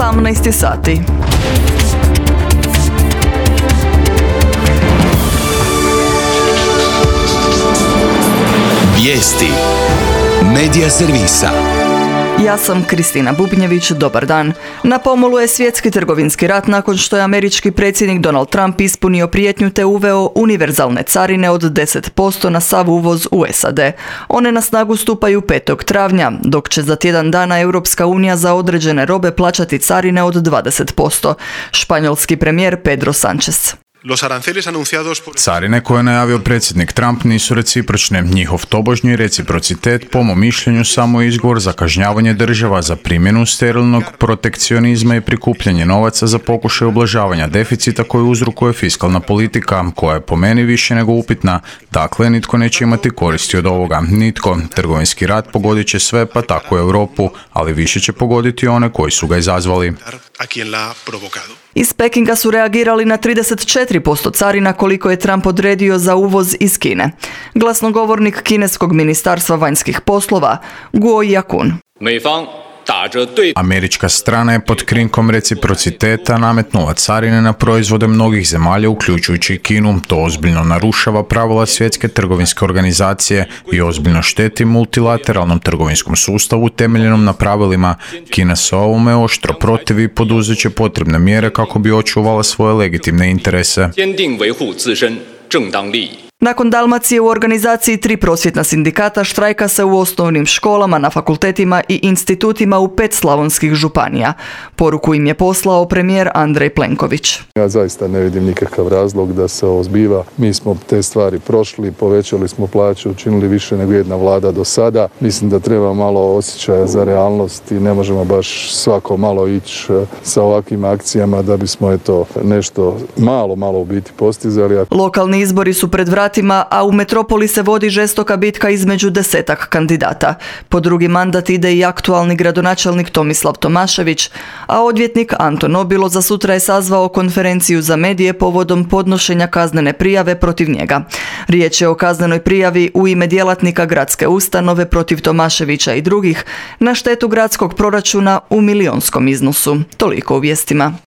18 sati. Vijesti Medija servisa. Ja sam Kristina Bubnjević, dobar dan. Na pomolu je svjetski trgovinski rat nakon što je američki predsjednik Donald Trump ispunio prijetnju te uveo univerzalne carine od 10% na sav uvoz u SAD. One na snagu stupaju 5. travnja, dok će za tjedan dana Europska unija za određene robe plaćati carine od 20%. Španjolski premijer Pedro Sánchez. Carine koje je najavio predsjednik Trump nisu recipročne. Njihov tobožnji reciprocitet, po mom mišljenju, samo je izgovor za kažnjavanje država za primjenu sterilnog protekcionizma i prikupljanje novaca za pokušaj ublažavanja deficita koji uzrokuje fiskalna politika, koja je po meni više nego upitna. Dakle, nitko neće imati koristi od ovoga. Nitko. Trgovinski rat pogodit će sve, pa tako i Europu, ali više će pogoditi one koji su ga izazvali. Iz Pekinga su reagirali na 34% carina koliko je Trump odredio za uvoz iz Kine. Glasnogovornik kineskog ministarstva vanjskih poslova, Guo Yakun. Američka strana je pod krinkom reciprociteta nametnula carine na proizvode mnogih zemalja, uključujući i Kinu. To ozbiljno narušava pravila svjetske trgovinske organizacije i ozbiljno šteti multilateralnom trgovinskom sustavu temeljenom na pravilima. Kina se ovome oštro protivi i poduzet će potrebne mjere kako bi očuvala svoje legitimne interese. Nakon Dalmacije u organizaciji 3 prosvjetna sindikata štrajka se u osnovnim školama, na fakultetima i institutima u 5 slavonskih županija. Poruku im je poslao premijer Andrej Plenković. Ja zaista ne vidim nikakav razlog da se ovo zbiva. Mi smo te stvari prošli, povećali smo plaću, učinili više nego jedna vlada do sada. Mislim da treba malo osjećaja za realnost i ne možemo baš svako malo ići sa ovakvim akcijama da bismo nešto malo u biti postizali. Lokalni izbori su pred vratima, a u metropoli se vodi žestoka bitka između 10-ak kandidata. Po drugi mandat ide i aktualni gradonačelnik Tomislav Tomašević, a odvjetnik Anton Nobilo za sutra je sazvao konferenciju za medije povodom podnošenja kaznene prijave protiv njega. Riječ je o kaznenoj prijavi u ime djelatnika gradske ustanove protiv Tomaševića i drugih na štetu gradskog proračuna u milijunskom iznosu. Toliko u vijestima.